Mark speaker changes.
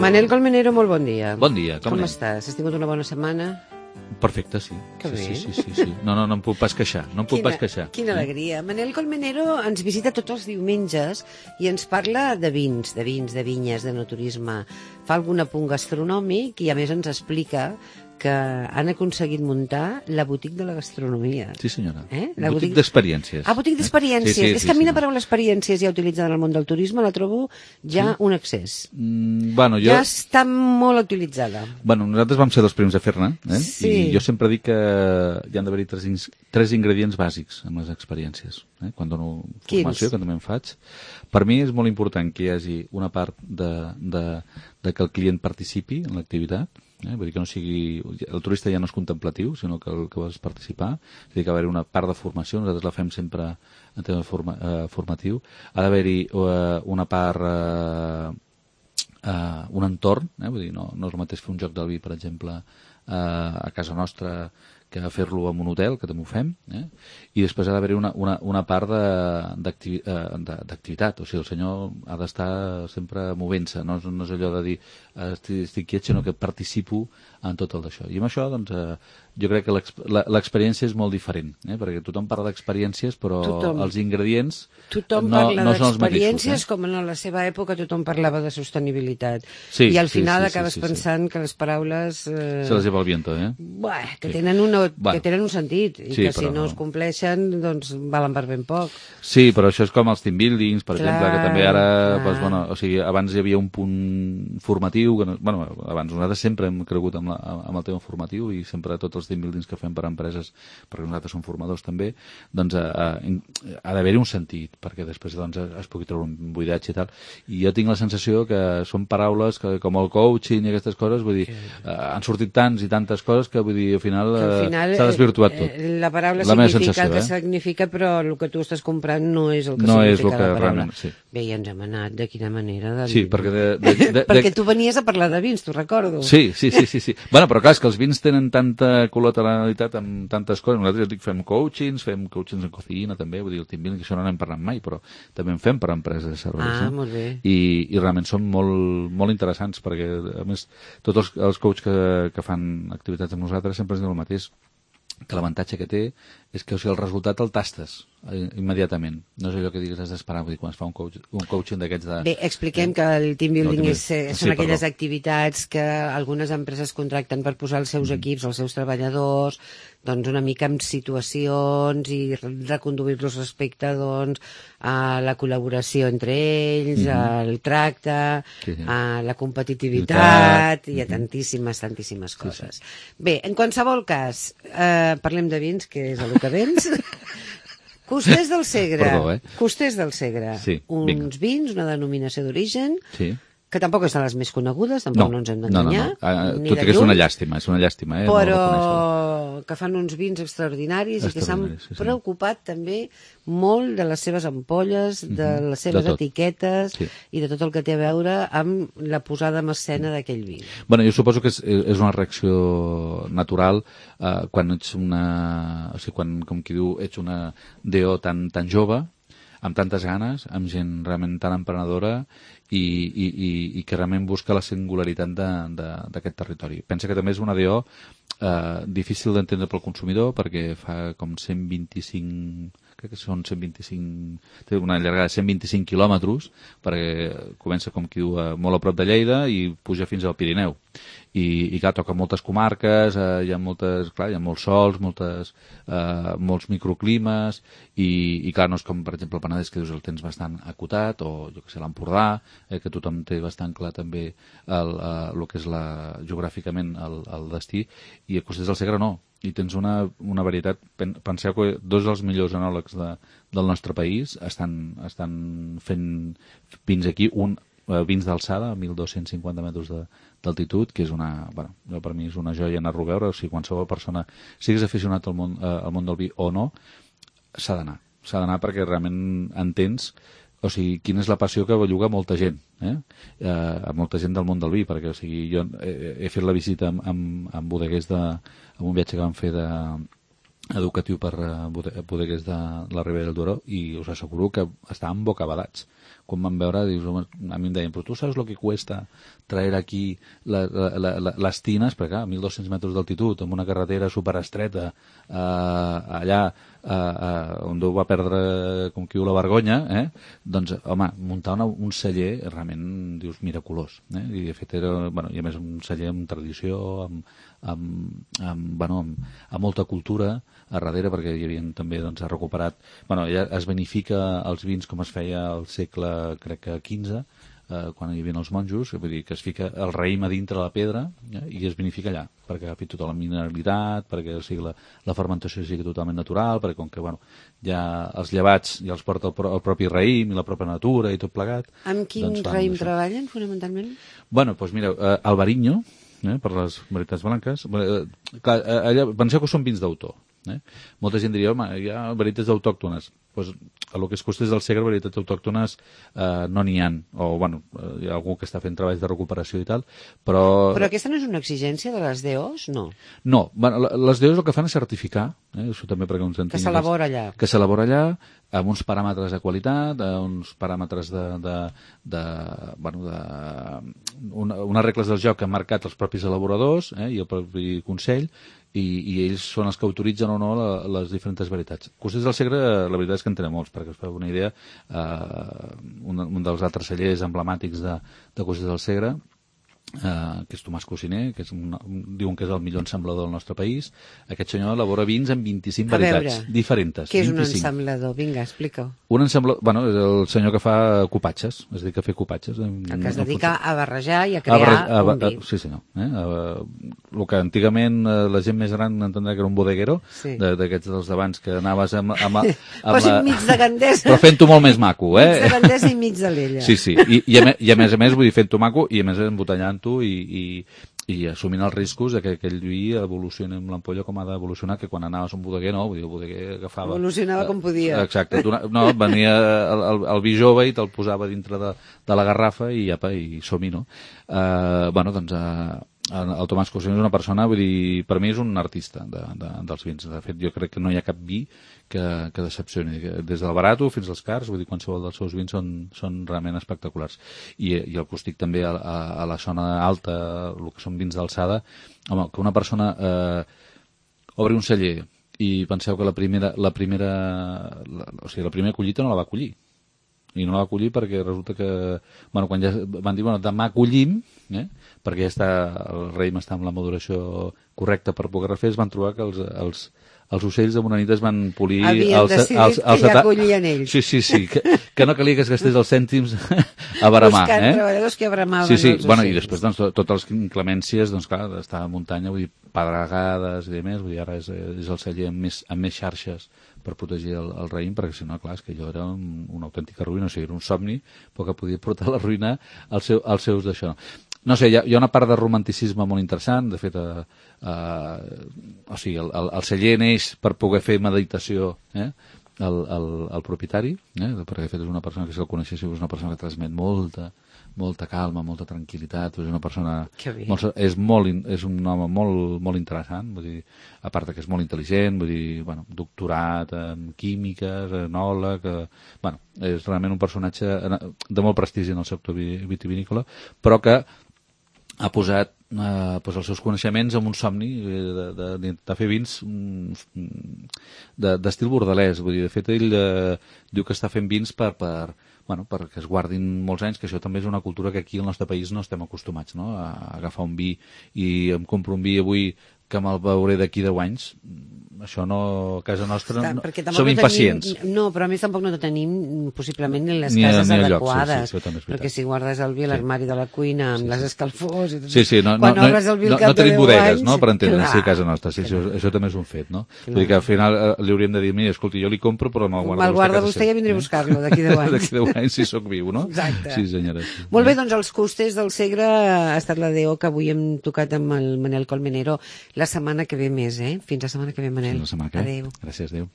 Speaker 1: Manel Colmenero, molt bon dia.
Speaker 2: Bon dia, com anem?
Speaker 1: estàs? Has tingut una bona setmana?
Speaker 2: Perfecte, sí.
Speaker 1: Que bé.
Speaker 2: Sí. No em puc pas queixar,
Speaker 1: Quina alegria. Manel Colmenero ens visita tots els diumenges i ens parla de vins, de vinyes, de naturisme. Fa algun apunt gastronòmic i a més ens explica que han aconseguit muntar la boutique de la gastronomia.
Speaker 2: Sí, senyora.
Speaker 1: La
Speaker 2: boutique d'experiències.
Speaker 1: Ah, boutique d'experiències.
Speaker 2: Sí,
Speaker 1: és que a mi la paraula experiències ja utilitzada en el món del turisme la trobo ja un excés. Ja està molt utilitzada.
Speaker 2: Bueno, nosaltres vam ser els primers a fer-ne,
Speaker 1: Sí.
Speaker 2: I jo sempre dic que hi han d'haver-hi tres ingredients bàsics en les experiències. Quan dono formació, que també en faig. Per mi és molt important que hi hagi una part de que el client participi en l'activitat. Vull dir que no sigui... El turista ja no és contemplatiu, sinó que el que vols participar. És a dir, que ha d'haver una part de formació, nosaltres la fem sempre en tema formatiu. Ha d'haver-hi una part... un entorn, vull dir, no és el mateix fer un joc del vi, per exemple, a casa nostra, que fer-lo en un hotel, que també ho fem, i després ha d'haver-hi una part d'activitat, o sigui, el senyor ha d'estar sempre movent-se, no és allò de dir estic quiet, sinó que participo en tot el d'això. I amb això, doncs, jo crec que l'experiència és molt diferent, perquè tothom parla d'experiències, però els ingredients no són els mateixos.
Speaker 1: Com en la seva època tothom parlava de sostenibilitat. I al final acabes pensant que les paraules...
Speaker 2: Se les lleva el viento,
Speaker 1: que tenen un sentit, i que si no es compleixen, doncs valen per ben poc.
Speaker 2: Sí, però això és com els team buildings, per exemple, que també ara, o sigui, abans hi havia un punt formatiu, abans nosaltres sempre hem cregut amb el tema formatiu i sempre tots els team buildings que fem per a empreses, perquè nosaltres som formadors també, doncs ha d'haver-hi un sentit, perquè després es pugui treure un buidatge i tal. I jo tinc la sensació que són paraules que, com el coaching i aquestes coses, vull dir, han sortit tants i tantes coses que, vull dir, al final s'ha desvirtuat tot.
Speaker 1: La paraula significa el que significa, però el que tu estàs comprant no és el que significa la paraula. Bé, ja ens hem anat, de quina manera?
Speaker 2: Sí, perquè...
Speaker 1: Perquè tu venies a parlar de vins, t'ho recordo.
Speaker 2: Sí. Bueno, però clar, és que els vins tenen tanta col·lateralitat amb tantes coses. Nosaltres, ja dic, fem coachings en cocina també, vull dir, el team building, que això no n'hem parlat mai, però també en fem per a empreses de serveis.
Speaker 1: Molt bé.
Speaker 2: I realment són molt interessants, perquè, a més, tots els coaches que fan activitats amb nosaltres sempre ens diuen el mateix, que l'avantatge que té és que el resultat el tastes immediatament. No és allò que digues has d'esperar, vull dir, quan es fa un coaching d'aquests de...
Speaker 1: Bé, expliquem que el team building són aquelles activitats que algunes empreses contracten per posar els seus equips, els seus treballadors, doncs una mica en situacions i reconduir-los respecte a la col·laboració entre ells, al tracte, a la competitivitat i a tantíssimes coses. Bé, en qualsevol cas, parlem de vins, que és el que vens. Costers del Segre. Costers del Segre. Uns vins, una denominació d'origen, que tampoc són les més conegudes, tampoc no ens hem d'enganyar.
Speaker 2: Tot i que és una llàstima.
Speaker 1: Però que fan uns vins extraordinaris i que s'han preocupat també molt de les seves ampolles, de les seves etiquetes i de tot el que té a veure amb la posada en escena d'aquell vi.
Speaker 2: Bueno, jo suposo que és una reacció natural quan ets o sigui, quan, com qui diu, ets una DO tan jove, amb tantes ganes, amb gent realment tan emprenedora i que realment busca la singularitat d'aquest territori. Pensa que també és una DO difícil d'entendre pel consumidor perquè fa com 125... crec que són 125... té una llargada de 125 quilòmetres perquè comença, com qui diu, molt a prop de Lleida i puja fins al Pirineu. I clar, toca moltes comarques, hi ha molts sols, molts microclimes i clar, no és com per exemple el Penedès, que dius el tens bastant acotat, o jo que sé, l'Empordà, que tothom té bastant clar també el que és geogràficament el destí, i a Costers del Segre no, i tens una varietat. Penseu que dos dels millors enòlegs del nostre país estan fent vins aquí, vins d'alçada, a 1.250 metres d'altitud, que és per mi és una joia anar-lo a veure. O sigui, qualsevol persona, siguis aficionat al món del vi o no, s'ha d'anar perquè realment entens, o sigui, quina és la passió que belluga molta gent, a molta gent del món del vi, perquè, o sigui, jo he fet la visita amb bodeguers amb un viatge que vam fer educatiu per bodeguers de la Ribera del Duero, i us asseguro que estaven bocabadats. quan van veure, dius, home, a mi em deien, però tu saps el que cuesta traer aquí les tines, perquè clar, a 1.200 metres d'altitud, amb una carretera superestreta, allà on Déu va perdre, com qui diu, la vergonya, doncs, home, muntar un celler realment, dius, miraculós. I de fet era, bueno, i a més un celler amb tradició, amb molta cultura a darrere, perquè hi havia també, doncs, recuperat, bueno, ja es vinifica els vins com es feia al segle, crec que XV, quan hi havia els monjos, vull dir que es fica el raïm a dintre la pedra i es vinifica allà, perquè agafi tota la mineralitat, perquè o sigui, la fermentació sigui totalment natural, perquè com que bueno, ja els llevats ja els porta el propi raïm i la pròpia natura i tot plegat.
Speaker 1: Amb quin raïm treballen, fonamentalment?
Speaker 2: Bueno, doncs mira, Albariño, per les varietats blanques, clar, allà, penseu que són vins d'autor. Molta gent diria, home, hi ha varietats autòctones. Pues, a lo que es costés del Segre, varietats autòctones no n'hi ha. O, bueno, hi ha algú que està fent treballs de recuperació i tal, però...
Speaker 1: Però aquesta no és una exigència de les DOs, no?
Speaker 2: No, bueno, les DOs el que fan és certificar, això també perquè uns entenguin...
Speaker 1: Que s'elabora allà.
Speaker 2: Que s'elabora allà, amb uns paràmetres de qualitat, uns paràmetres unes regles del joc que han marcat els propis elaboradors i el propi Consell, i ells són els que autoritzen o no les diferents varietats. Costers del Segre, la veritat és que en tenen molts, perquè us feu una idea, un dels altres cellers emblemàtics de Costers del Segre, que és Tomàs Cussiner, que és diuen que és el millor ensamblador del nostre país. Aquest senyor elabora vins amb 25 varietats diferents.
Speaker 1: Què és un ensamblador? Vinga, explica-ho.
Speaker 2: Un ensamblador, bueno, és el senyor que fa cupatges, es dedica a fer cupatges.
Speaker 1: El que es dedica a barrejar i a crear un vi.
Speaker 2: Sí, senyor. El que antigament la gent més gran entendrà que era un bodeguero, d'aquests dels d'abans que anaves amb
Speaker 1: Posi mig de Gandesa.
Speaker 2: Però fent-ho molt més maco,
Speaker 1: Mig de Gandesa i mig de l'Ella.
Speaker 2: Sí, i a més, vull dir, fent-ho maco i a més embotellant i assumint els riscos de que aquell vi evolucioni amb l'ampolla com ha d'evolucionar, que quan anaves a un bodeguer, no, vull dir, el bodeguer agafava...
Speaker 1: Evolucionava com podia.
Speaker 2: Exacte, no, venia el vi jove i te'l posava dintre de la garrafa i som-hi, no? Bueno, doncs... el Tomàs Cussiner és una persona, vull dir, per mi és un artista dels vins. De fet, jo crec que no hi ha cap vi que decepcioni. Des del barato fins als cars, vull dir, qualsevol dels seus vins són realment espectaculars. I el Costic també a la zona alta, el que són vins d'alçada, home, que una persona obri un celler i penseu que la primera collita no la va collir. I no la va collir perquè resulta que, bueno, quan ja van dir, bueno, demà collim, perquè ja el raïm està amb la maduració correcta per poder refer, es van trobar que els ocells de bona nit es van polir...
Speaker 1: Havien decidit que ja collien ells.
Speaker 2: Sí, que no calia que es gastés els cèntims a baramar.
Speaker 1: Buscant treballadors que bramaven els
Speaker 2: ocells. Bueno, i després, doncs, totes les inclemències, doncs, clar, estar a muntanya, vull dir, pedregades i demés, vull dir, ara és el celler amb més xarxes per protegir el raïm, perquè si no, clar, és que allò era una autèntica ruïna, o sigui, era un somni, però que podia portar la ruïna als seus d'això. No sé, hi ha una part de romanticisme molt interessant, de fet, o sigui, el celler neix per poder fer meditació, el propietari, perquè de fet és una persona que si el coneixéssiu és una persona que transmet molta calma, molta tranquil·litat, és una persona... És un home molt interessant, vull dir, a part que és molt intel·ligent, vull dir, bueno, doctorat en químiques, enòleg, bueno, és realment un personatge de molt prestigi en el sector vitivinícola, però que ha posat els seus coneixements en un somni de fer vins d'estil bordelès. Vull dir, de fet, ell diu que està fent vins perquè es guardin molts anys, que això també és una cultura que aquí al nostre país no estem acostumats, no? A agafar un vi i em compro un vi avui que me'l veuré d'aquí 10 anys. Això no, a casa nostra, som impacients.
Speaker 1: No, però a més tampoc no tenim possiblement en les cases adequades. Perquè si guardes el vi a l'armari de la cuina amb les escalfors...
Speaker 2: Quan obres el vi al cap de 10 anys... No tenim bodegues, no?, per entendre, sí, a casa nostra. Això també és un fet, no? Vull dir que al final li hauríem de dir, mira, escolti, jo li compro, però me'l guarda
Speaker 1: vostè i ja vindré a buscar-lo d'aquí 10 anys.
Speaker 2: D'aquí 10 anys, si sóc viu, no?
Speaker 1: Exacte.
Speaker 2: Sí, senyora.
Speaker 1: Molt bé, doncs els Costers del Segre ha estat la DO que avui hem tocat amb el Manel Colmenero. La setmana que ve més, Fins la setmana que ve, Manel.
Speaker 2: Fins la setmana que ve.
Speaker 1: Adéu.
Speaker 2: Gràcies, adéu.